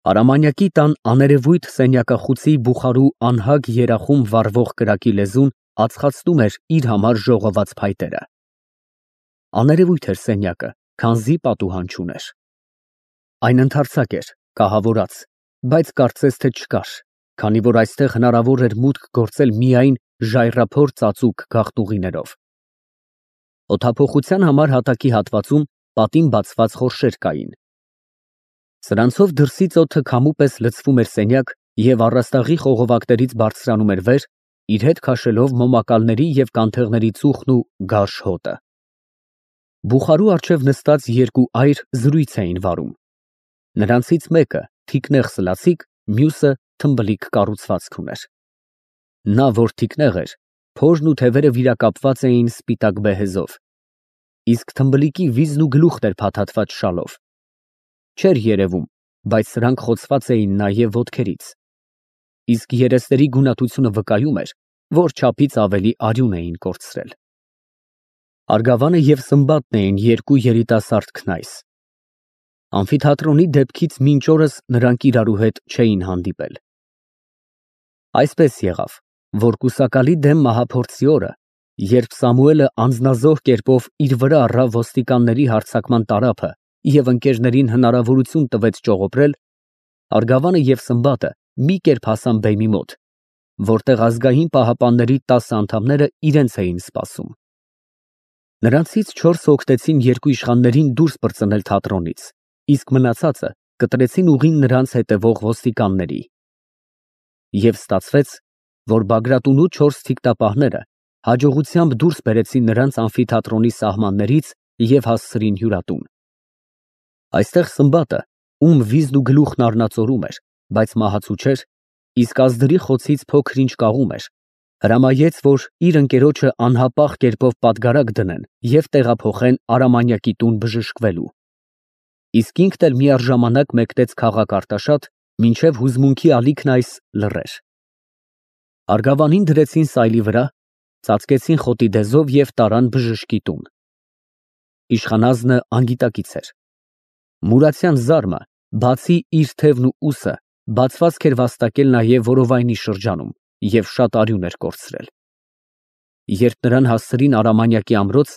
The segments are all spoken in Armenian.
Արամանյակի տան աներևույթ սենյակախուցի բուխարու անհագ երախում վառվող կրակի լեզուն ածխացնում էր իր համար ժողոված փայտերը։ Աներևույթ էր սենյակը, քանզի պատուհան չուներ։ Այն ընդարձակ էր, կահավորած, բայց կարծես թե չկար, քանի որ այստեղ հնարավոր էր մուտք գործել միայն ժայռափոր ծածուկ գաղտուղիներով։ Օդափոխության համար հատակի հատվածում պատին բացված խորշեր կային։ Սրանցով դրսից օդը քամու պես լցվում էր սենյակ և առաստաղի խողովակներից բարձրանում էր վեր, իր հետ քաշելով մոմակալների և կանթեղների ծուխն ու գարշ հոտը։ Բուխարու առջև նստած երկու այր զրույց էին վարում։ Նրանցից մեկը թիկնեղ սլացիկ, մյուսը թմբլիկ կառուցվածք ուներ։ Նա, որ թիկնեղ էր, փորն ու թևերը վիրակապված էին սպիտակ բեհեզով, իսկ թմբլիկի վիզն ու գլուխն էր փաթաթված շալով։ Չէր երևում, բայց սրանք խոցված էին նաև ոտքերից, իսկ երեսների գունատությունը վկայում էր, որ չափից ավելի արյուն էին կորցրել։ Արգավանը և Սմբատն էին երկու երիտասարդ քնայս։ Ամֆիթատրոնի դեպքից մինչ օրս նրանք իրարու հետ չէին հանդիպել։ Այսպես եղավ, որ կուսակալի դեմ մահափորձի օրը, երբ Սամուելը անձնազոհ կերպով իր վրա առավ ոստիկանների հարձակման տարափը և ընկերներին հնարավորություն տվեց ճողոպրել, Արգավանը և Սմբատը մի կերպ հասան բեմի մոտ, որտեղ ազգային պահապանների 10 անդամները իրենց էին սպասում։ Նրանցից 4 օգնեցին երկու իշխաններին դուրս պրծնել թատրոնից, իսկ մնացածը կտրեցին ուղին նրանց հետևող ոստիկանների։ Եվ ստացվեց, որ Բագրատունու 4 թիկտապահները հաջողությամբ դուրս բերեցին նրանց ամֆիթատրոնի սահմաններից և հասցրին հյուրատուն։ Այստեղ Սմբատը, ում վիզն ու գլուխն առնածորում էր, բայց մահացու չէր, իսկ ազդրի խոցից փոքր-ինչ կաղում էր, հրամայեց, որ իր ընկերոջը անհապաղ կերպով պատգարակ դնեն և տեղափոխեն Արամանյակի տուն բժշկվելու։ Իսկ ինքն էլ միառժամանակ մեկնեց քաղաք Արտաշատ, մինչև հուզմունքի ալիքն այս լռեր։ Արգավանին դրեցին սայլի վրա, ծածկեցին խոտի դեզով և տարան բժշկի տուն։ Իշխանազնը անգիտակից էր։ Մուրացյան զարմը, բացի իր թևն ու ուսը, բացվածք էր վաստակել նաև որովայնի շրջանում և շատ արյուն էր կորցրել։ Երբ նրան հասցրին Արամանյակի ամրոց,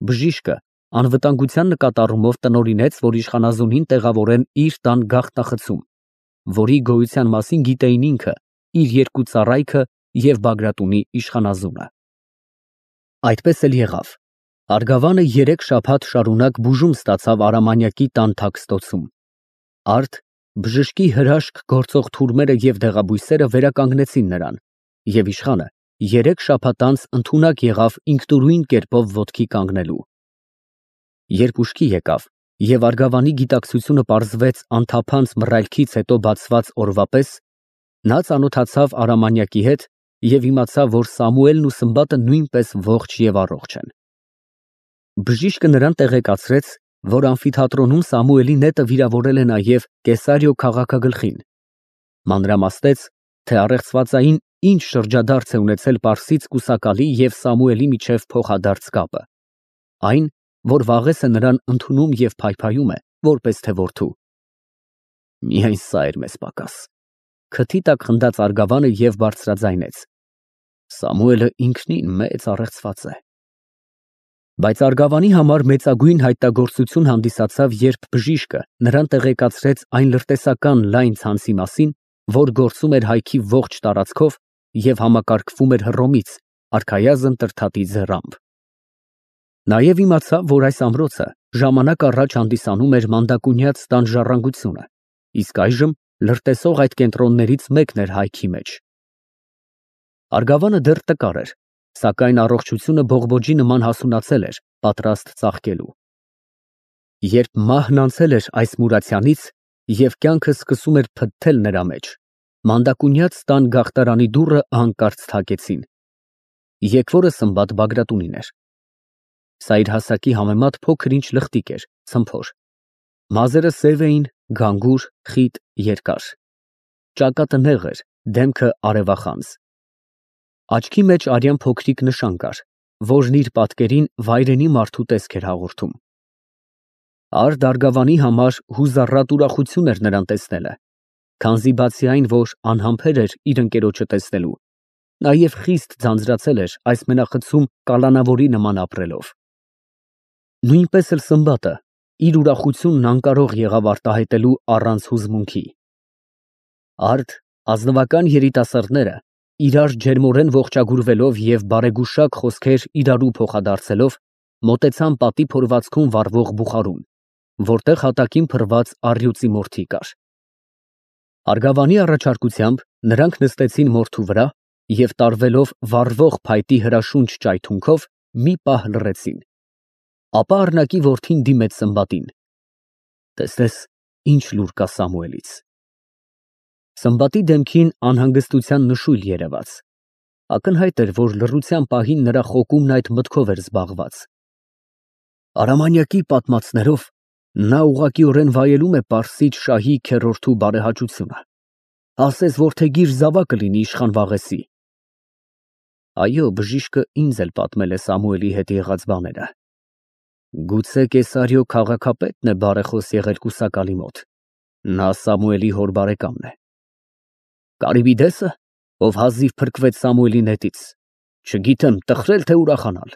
բժիշկը անվտանգության նկատառումով տնօրինեց, որ իշխանազունին տեղավորեն իր տան գաղտնախցում, որի գոյության մասին գիտեին ինքը, իր երկու ծառայքը և Բագրատունի իշխանազունը։ Այդպես էլ եղավ։ Արգավանը 3 շաբաթ շարունակ բուժում ստացավ Արամանյակի տան թաքստոցում։ Արդ բժշկի հրաշք գործող թուրմերը և դեղաբույսերը վերականգնեցին նրան, և իշխանը 3 շաբաթ անց ընդունակ եղավ ինքնուրույն կերպով ոտքի կանգնելու։ Երբ ուշքի եկավ և Արգավանի գիտակցությունը պարզվեց անթափանց մռայլքից հետո բացված օրվա պես, նա ծանոթացավ Արամանյակի հետ և իմացավ, որ Սամուելն ու Սմբատը նույնպես ողջ և առողջ են։ Բժիշկը նրան տեղեկացրեց, որ ամֆիթատրոնում Սամուելի նետը վիրավորել է նաև Կեսարիո քաղաքագլխին, մանրամասնեց, թե առեղծվածային ինչ շրջադարձ է ունեցել պարսից կուսակալի և Սամուելի միջև փոխադարձ կապը, այն, որ վաղուց է նրան ընդունում և փայփայում է, որպես թե որդու։ Միայն սա էր մեզ պակաս, քթի տակ խնդաց Արգավանը և բարձրաձայնեց. Սամուելը ինքնին մեծ առեղծված է։ Բայց Արգավանի համար մեծագույն հայտնագործություն հանդիսացավ, երբ բժիշկը նրան տեղեկացրեց այն լրտեսական լայն ցանցի մասին, որ գործում էր հայքի ողջ տարածքով և համակարգվում էր Հռոմից, արքայազն Տրդատի ձեռամբ։ Նաև իմացավ, որ այս ամրոցը ժամանակ առաջ հանդիսանում էր մանդակունյաց տան ժառանգությունը, իսկ այժմ լրտեսող այդ կենտրոններից մեկն էր հայքի մեջ։ Արգավանը դեռ տկար էր, սակայն առողջությունը բողբոջի նման հասունացել էր, պատրաստ ծաղկելու։ Երբ մահն անցել էր այս Մուրացյանից և կյանքը սկսում էր փթթել նրա մեջ, մանդակունյաց տան գաղթարանի դուռը հանկարծ թակեցին։ Եկվորը Սմբատ Բագրատունին էր։ Սա իր հասակի համեմատ փոքր-ինչ լխտիկ էր, ցմփոր։ Մազերը սև էին, գանգուր, խիտ, երկար։ Ճակատը նեղ էր, դեմքը արևախանձ։ Աչքի մեջ արյան փոքրիկ նշան կար, որն իր պատկերին վայրենի մարդու տեսք էր հաղորդում։ Արդ Արգավանի համար հուզառատ ուրախություն էր նրան տեսնելը, Քանզի բացի այն, որ անհամբեր էր իր ընկերոջը տեսնելու, նաև խիստ ձանձրացել էր այս մենախցում կալանավորի նման ապրելով։ Նույնպես էլ Սմբատը իր ուրախությունն անկարող եղավ արտահայտելու առանց հուզմունքի։ Արդ ազնվական երիտասարդները իրար ջերմորեն ողջագուրվելով և բարեգուշակ խոսքեր իրարու փոխադարձելով մոտեցան պատի փորվածքում վառվող բուխարուն, որտեղ հատակին փռված առյուծի մորթի կար։ Արգավանի առաջարկությամբ նրանք նստեցին մորթու վրա և տարվելով վառվող փայտի հրաշունչ ճայթունքով մի պահ լռեցին։ Ապա առնակի որդին դիմեց Սմբատին. «Տեսնես, ինչ լուր կա Սամուելից»։ Սմբատի դեմքին անհանգստության նշույլ երևաց։ Ակնհայտ էր, որ լռության պահին նրա խոկումն այդ մտքով էր զբաղված։ Արամանյակի պատմածներով նա ուղղակիորեն վայելում է Պարսից շահի քեռորդու բարեհաճությունը։ Ասես որդեգիր զավակը լինի իշխան Վաղեսի։ Այո, բժիշկը ինձ էլ պատմել է Սամուելի հետ եղած բաները։ Գուցե Կեսարիո քաղաքապետն է բարեխոս եղել կուսակալի մոտ։ Նա Սամուելի հոր բարեկամն է։ Կարիբիդեսը, ով հազիվ փրկվեց Սամուելի նետից, չգիտեմ, տխրել թե ուրախանալ։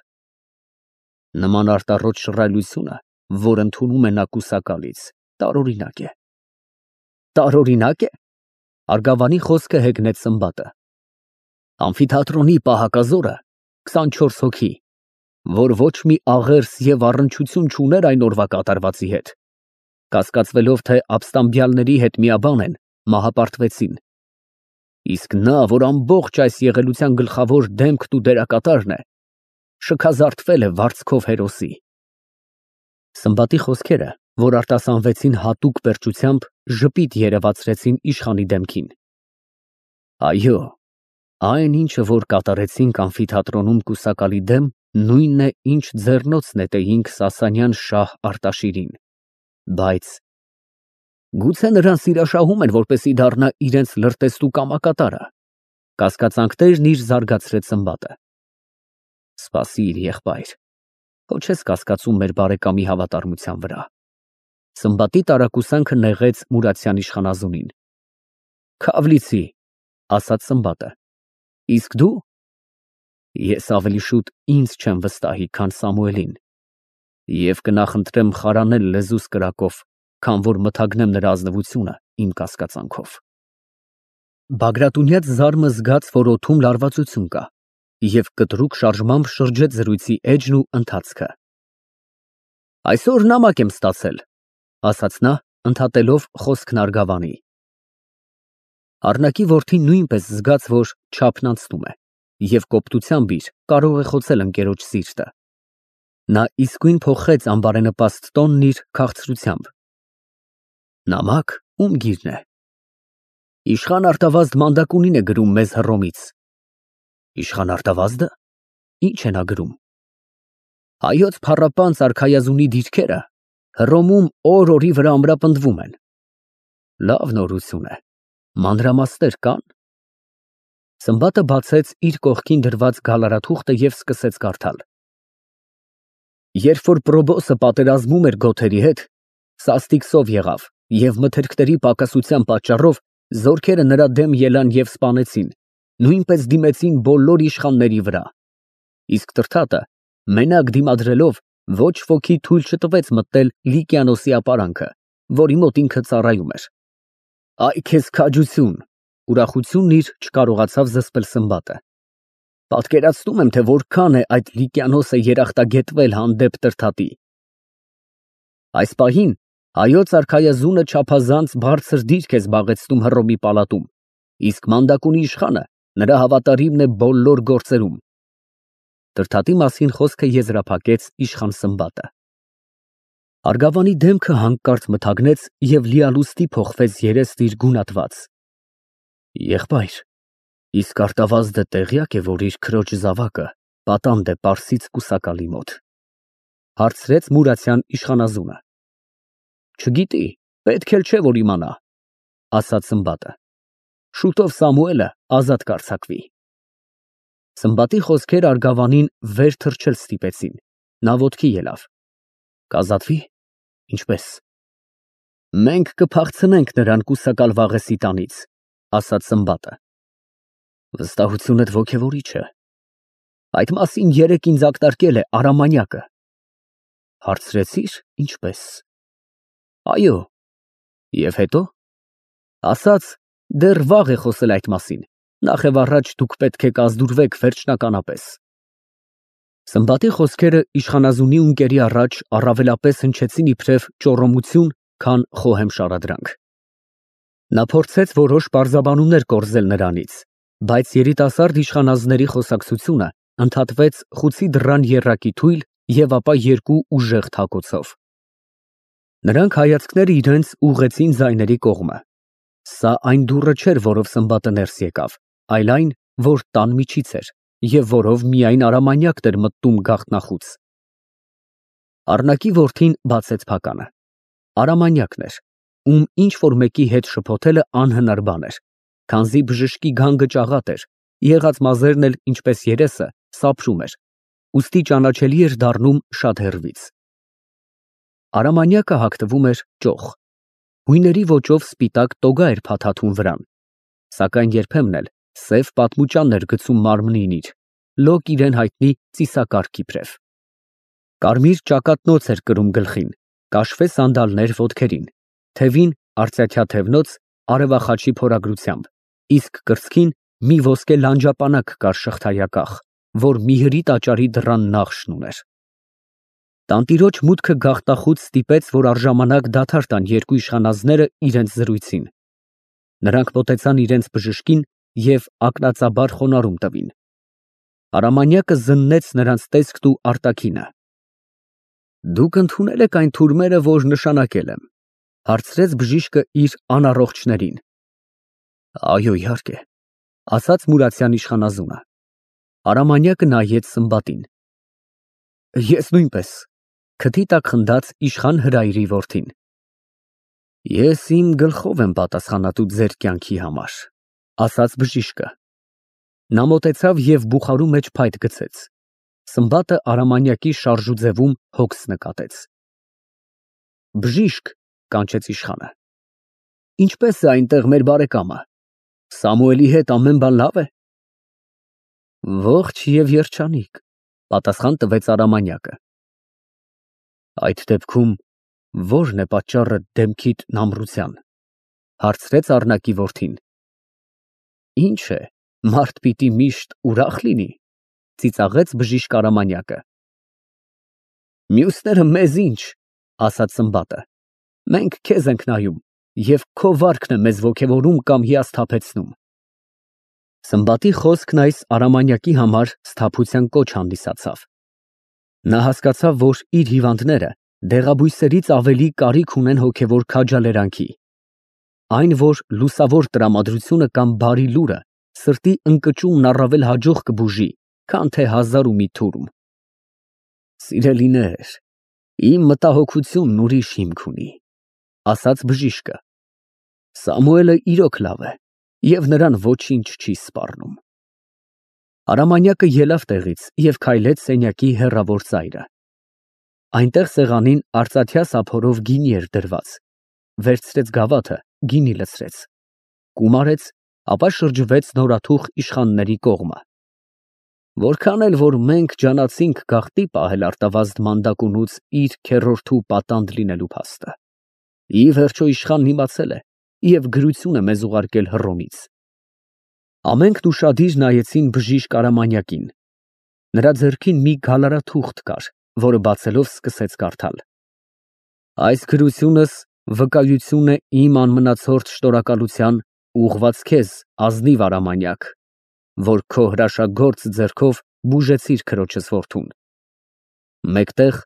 Նման արտառոտ շռայլությունը, որ ընդունում է նա կուսակալից, տարօրինակ է։ Տարօրինակ է։ Արգավանի խոսքը հեգնեց Սմբատը։ Ամֆիթատրոնի պահակազորը 24 հոգի, որ ոչ մի աղերս և առնչություն չուներ այն օրվա կատարվածի հետ, կասկածվելով, թե ապստամբյալների հետ միաբան են, մահապարտվեցին։ Իսկ նա, որ ամբողջ այս եղելության գլխավոր դեմքն ու դերակատարն է, շքազարդվել է վարձքով հերոսի։ Սմբատի խոսքերը, որ արտասանվեցին հատուկ պերճությամբ, ժպիտ երևացրեցին իշխանի դեմքին։ Այո, այն ինչը, որ կատարեցինք ամֆիթատրոնում կուսակալի դեմ, նույնն է, ինչ ձեռնոց նետեինք Սասանյան շահ Արտաշիրին, բայց… Գուցե նրան սիրաշահում են, որպեսզի դառնա իրենց լրտեսու կամակատարը։ Կասկածանքներն իր զարգացրեց Սմբատը։ Սպասիր, եղբայր, քո չես կասկածում մեր բարեկամի հավատարմության վրա։ Սմբատի տարակուսանքը նեղեց Մուրացյան իշխանազունին։ Քավլիցի, ասաց Սմբատը։ Իսկ դու… Ես ավելի շուտ ինձ չեմ վստահի, քան Սամուելին, և կնախընտրեմ խարանել լեզուս կրակով, քան որ մթագնեմ նրա ազնվությունը իմ կասկածանքով։ Բագրատունյաց զարմը զգաց, որ օդում լարվածություն կա, և կտրուկ շարժմամբ շրջեց զրույցի էջն ու ընթացքը։ Այսօր նամակ եմ ստացել, ասաց նա, ընդհատելով խոսքն Արգավանի։ Առնակի որդին նույնպես զգաց, որ չափն անցնում է, և կոպտությամբ իր կարող է խոցել ընկերոջ սիրտը։ Նա իսկույն փոխեց անբարենպաստ տոնն իր քաղցրությամբ։ Նամակ, ում գիրն է։ Իշխան Արտավազդ մանդակունին է գրում մեզ Հռոմից։ Իշխան Արտավազդը։ Ինչ է նա գրում։ Հայոց փառապանծ արքայազունի դիրքերը Հռոմում օր֊օրի վրա ամրապնդվում են։ Լավ նորություն է։ Մանրամասներ կան։ Սմբատը բացեց իր կողքին դրված գալարաթուղթը և սկսեց կարդալ։ Երբ որ Պրոբոսը պատերազմում էր գոթերի հետ, սաստիկ սով եղավ և մթերքների պակասության պատճառով զորքերը նրա դեմ ելան և սպանեցին, նույնպես դիմեցին բոլոր իշխանների վրա։ Իսկ Տրդատը, մենակ դիմադրելով, ոչ ոքի թույլ չտվեց մտնել Լիկիանոսի ապարանքը, որի մոտ ինքը ծառայում էր։ Այ քեզ քաջություն, ուրախությունն իր չկարողացավ զսպել Սմբատը։ Պատկերացնում եմ, թե որքան է այդ Լիկիանոսը երախտագետվել հանդեպ Տրդատի։ Այս պահին հայոց արքայազունը չափազանց բարձր դիրք է զբաղեցնում Հռոմի պալատում, իսկ մանդակունի իշխանը նրա հավատարիմն է բոլոր գործերում։ Տրդատի մասին խոսքը եզրափակեց իշխան Սմբատը։ Արգավանի դեմքը հանկարծ մթագնեց և լիալուստի փոխվեց երեստ իր գունատված։ Եղբայր, իսկ Արտավազդը տեղյակ է, որ իր քրոջ զավակը պատանդ է Պարսից կուսակալի մոտ, հարցրեց Մուրացյան իշխանազունը։ Չգիտի, պետք էլ չէ, որ իմանա, ասաց Սմբատը։ Շուտով Սամուելը ազատ կարձակվի։ Սմբատի խոսքերը Արգավանին վեր թռչել ստիպեցին։ Նա ոտքի ելավ։ Կազատվի։ Ինչպես։ Մենք կփախցնենք նրան կուսակալ Վաղեսի տանից, ասաց Սմբատը։ Վստահությունդ ոգևորիչ է։ Այդ մասին երեկ ինձ ակնարկել է Արամանյակը։ Հարցրեցի՞ր, ինչպես։ Այո։ Եվ հետո։ Ասաց, դեռ վաղ է խոսել այդ մասին, նախ եւ առաջ դուք պետք է կազդուրվեք վերջնականապես։ Սմբատի խոսքերը իշխանազունի ունկերի առաջ առավելապես հնչեցին իբրև ճոռոմություն, քան խոհեմ շարադրանք։ Նա փորձեց որոշ պարզաբանումներ կորզել նրանից, բայց երիտասարդ իշխանազների խոսակցությունը ընդհատվեց խուցի դռան եռակի թույլ եւ ապա երկու ուժեղ թակոցով։ Նրանք հայացքները իրենց ուղղեցին ձայների կողմը։ Սա այն դուռը չէր, որով Սմբատը ներս եկավ, այլ այն, որ տան միջից էր եւ որով միայն Արամանյակն էր մտնում գաղտնախուց։ Առնակի որդին բացեց փականը։ Արամանյակն էր, ում ինչ որ մեկի հետ շփոթելը անհնար բան էր, քանզի բժշկի գանգը ճաղատ էր, եղած մազերն էլ ինչպես երեսը սափրում էր, ուստի ճանաչելի էր դառնում շատ հեռվից։ Արամանյակը հագնվում էր ճոխ։ Հույների ոճով սպիտակ տոգա էր փաթաթում վրան, սակայն երբեմն էլ սև պատմուճան էր գցում մարմնին իր, լոկ իրեն հայտնի ծիսակարգ իբրև։ Կարմիր ճակատնոց էր կրում գլխին, կաշվե սանդալներ ոտքերին, թևին արծաթյա թևնոց արևախաչի փորագրությամբ, իսկ կրծքին մի ոսկե լանջապանակ կար շղթայակախ, որ միհրի տաճարի դռան նախշն ուներ։ Տանտիրոջ մուտքը գաղտնախուց ստիպեց, որ առժամանակ դադար տան երկու իշխանազները իրենց զրույցին։ Նրանք մոտեցան իրենց բժշկին և ակնածաբար խոնարհում տվին։ Արամանյակը զննեց նրանց տեսքն ու արտաքինը։ Դուք ընդունել եք այն թուրմերը, որ նշանակել եմ, հարցրեց բժիշկը իր անառողջներին։ Այո, իհարկե, ասաց Մուրացյան իշխանազունը։ Արամանյակը նայեց Սմբատին։ Ես նույնպես, քթի տակ խնդաց իշխան Հրայրի որդին։ Ես իմ գլխով եմ պատասխանատու ձեր կյանքի համար, ասաց բժիշկը։ Նա մոտեցավ և բուխարու մեջ փայտ գցեց։ Սմբատը Արամանյակի շարժուձևում հոգս նկատեց։ Բժիշկ, կանչեց իշխանը, ինչպես է այնտեղ մեր բարեկամը։ Սամուելի հետ ամեն բան լավ է։ Ողջ և երջանիկ, պատասխան տվեց Արամանյակը։ Այդ դեպքում ո՞րն է պատճառը դեմքիդ նամրության, հարցրեց առնակի որդին։ Ինչ է, մարդ պիտի միշտ ուրախ լինի, ծիծաղեց բժիշկ Արամանյակը։ Մյուսները մեզ ինչ, ասաց Սմբատը, մենք քեզ ենք նայում, և քո վարքն է մեզ ոգևորում կամ հիասթափեցնում։ Սմբատի խոսքն այս Արամանյակի համար սթափության կոչ հանդիսացավ։ Նա հասկացավ, որ իր հիվանդները դեղաբույսերից ավելի կարիք ունեն հոգևոր քաջալերանքի։ Այն, որ լուսավոր տրամադրությունը կամ բարի լուրը սրտի ընկճումն առավել հաջող կբուժի, քան թե հազար ու մի թուրմ։ Սիրելիներ, իմ մտահոգությունն ուրիշ հիմք ունի, ասաց բժիշկը։ Սամուելը իրոք լավ է, և նրան ոչինչ չի սպառնում։ Արամանյակը ելավ տեղից և քայլեց սենյակի հեռավոր ծայրը։ Այնտեղ սեղանին արծաթյա սափորով գինի էր դրված, վերցրեց գավաթը, գինի լցրեց, կումարեց, ապա շրջվեց նորաթուխ իշխանների կողմը։ Որքան էլ որ մենք ջանացինք գաղտնի պահել արտավազդ մանդակունուց իր քեռորդու պատանդ լինելու փաստը, ի վերջո իշխանն իմացել է և գրություն է մեզ ուղարկել Հռոմից։ Ամենքն ուշադիր նայեցին բժիշկ Արամանյակին։ Նրա ձեռքին մի գալարաթուղթ կար, որը բացելով սկսեց կարդալ։ Այս գրությունս վկայություն է իմ անմնացորդ շնորհակալության ուղղված քեզ, ազնիվ Արամանյակ, որ քո հրաշագործ ձեռքով բուժեցիր քրոջս որդուն։ Մեկտեղ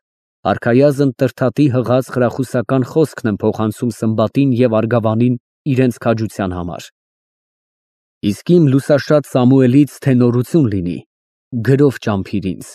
արքայազն տրդատի հղած խրախուսական խոսքն եմ փոխանցում Սմբատին և Արգավանին իրենց քաջության համար։ Իսկ իմ լուսաշատ Սամուելից թե նորություն լինի, գրով ճամփիր ինձ։